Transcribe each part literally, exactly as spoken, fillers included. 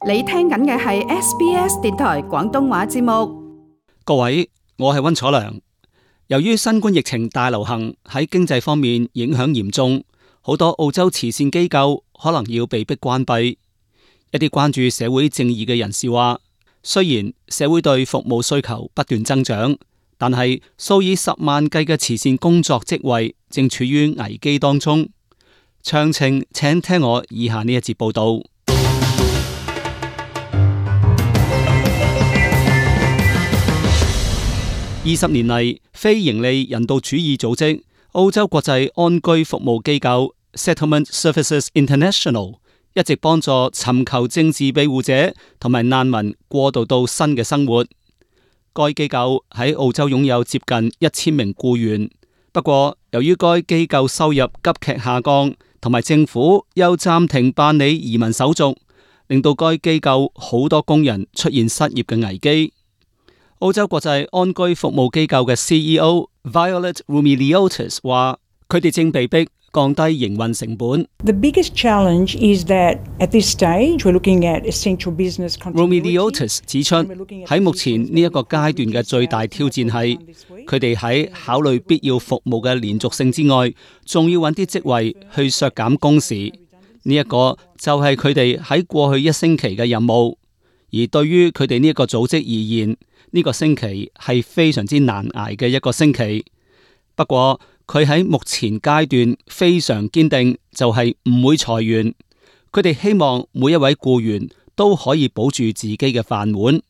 你聽緊嘅係 S B S 電台廣東話節目。各位，我係溫楚良。由於新冠疫情大流行喺經濟方面影響嚴重，好多澳洲慈善機構可能要被迫關閉。一啲關注社會正義嘅人士話，雖然社會對服務需求不斷增長，但係數以十萬計嘅慈善工作職位正處於危機當中。詳情請聽我以下呢一節報道。二十年嚟，非營利人道主義組織澳洲國際安居服務機構 Settlement Services International 一直幫助尋求政治庇護者同埋難民過渡到新嘅生活。該機構喺澳洲擁有接近一千名僱員，不過由於該機構收入急劇下降，同埋政府又暫停辦理移民手續，令到該機構好多工人出現失業嘅危機。澳洲國際安居服務機構嘅 C E O Violet Rumiliotis 話，佢哋正被迫降低營運成本。The biggest challenge is that at this stage we're looking at essential business continuity. Rumiliotis 指出，喺目前呢一個階段嘅最大挑戰係，佢哋喺考慮必要服務嘅連續性之外，仲要揾啲職位去削減工時。呢一個就係佢哋喺過去一星期嘅任務。而對於佢哋呢一個組織而言，呢個星期係非常之難捱嘅一個星期。不過佢喺目前階段非常堅定，就係唔會裁員。佢哋希望每一位僱員都可以保住自己嘅飯碗。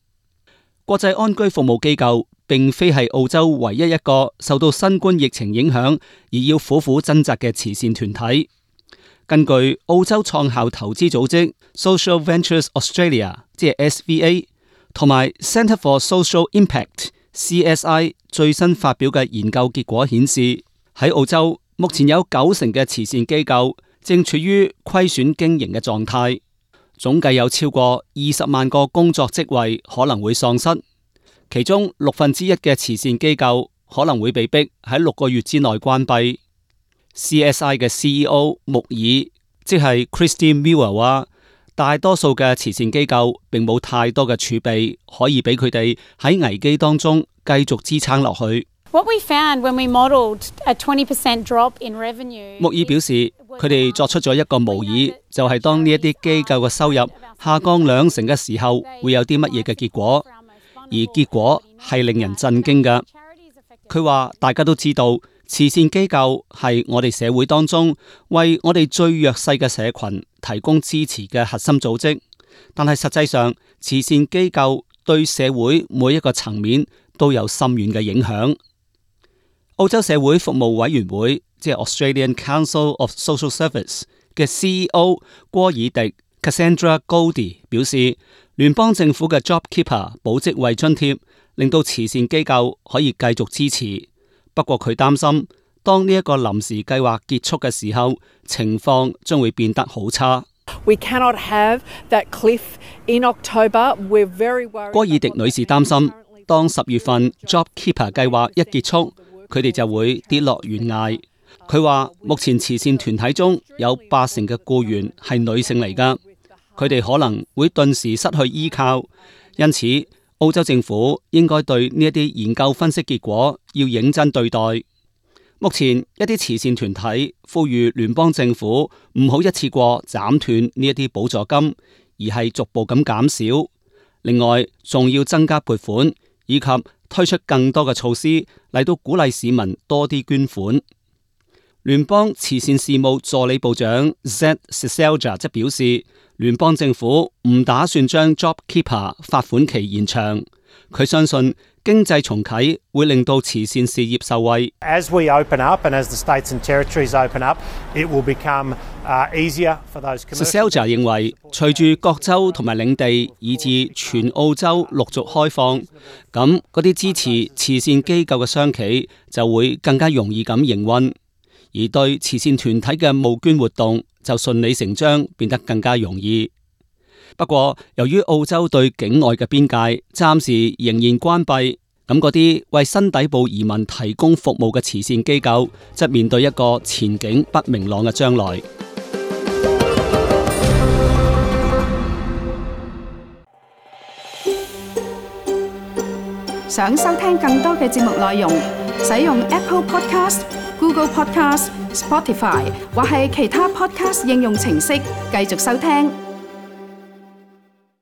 國際安居服務機構並非係澳洲唯一一個受到新冠疫情影響而要苦苦掙扎嘅慈善團體。根據澳洲創校投資組織 Social Ventures Australia， 即係 S V A， 同埋 Centre for Social Impact C S I 最新發表嘅研究結果顯示，喺澳洲目前有九成嘅慈善機構正處於虧損經營嘅狀態，總計有超過二十萬個工作職位可能會喪失，其中六分之一嘅慈善機構可能會被迫喺六個月之內關閉。C S I 嘅 C E O 穆爾即係 Christine Miller 話，大多數嘅慈善機構並冇太多嘅儲備可以俾佢哋喺危機當中繼續支撐落去。What we found when we modelled a twenty percent drop in revenue， 穆爾表示，佢哋作出咗一個模擬，就係、是、當呢一啲機構嘅收入下降兩成嘅時候，會有啲乜嘢嘅結果，而結果係令人震驚㗎。佢話大家都知道，慈善機構係我哋社會當中為我哋最弱勢嘅社群提供支持嘅核心組織，但係實際上慈善機構對社會每一個層面都有深遠嘅影響。澳洲社會服務委員會即係 Australian Council of Social Service 嘅 C E O 戈爾迪 Cassandra Goldie 表示，聯邦政府嘅 JobKeeper 保職位津貼令到慈善機構可以繼續支持。不過佢擔心，當呢一個臨時計劃結束嘅時候，情況將會變得好差。We cannot have that cliff in October. We're very worried. 戈爾迪女士擔心，當十月份 JobKeeper 計劃一結束，佢哋就會跌落懸崖。佢話目前慈善團體中有八成嘅僱員係女性嚟㗎，佢哋可能會頓時失去依靠，因此澳洲政府應該對呢一啲研究分析結果要認真對待。目前一啲慈善團體呼籲聯邦政府唔好一次過斬斷呢一啲補助金，而係逐步咁減少。另外，仲要增加撥款，以及推出更多嘅措施嚟到鼓勵市民多啲捐款。聯邦慈善事務助理部長 Zed Seselja 則表示，聯邦政府唔打算將 JobKeeper 發款期延長。佢相信經濟重啟會令到慈善事業受惠。As we open up and as the states and territories open up, it will become uh, easier for those commercial. Seselja 認為，隨住各州同埋領地以至全澳洲陸續開放，咁嗰啲支持慈善機構嘅商企就會更加容易咁營運。而對慈善團體嘅募捐活動就順理成章變得更加容易。不過，由於澳洲對境外嘅邊界暫時仍然關閉，咁嗰啲為新底部移民提供服務嘅慈善機構，則面對一個前景不明朗嘅將來。想收聽更多嘅節目內容，使用 Apple Podcast、Google Podcast、Spotify 或係其他 Podcast 應用程式繼續收聽。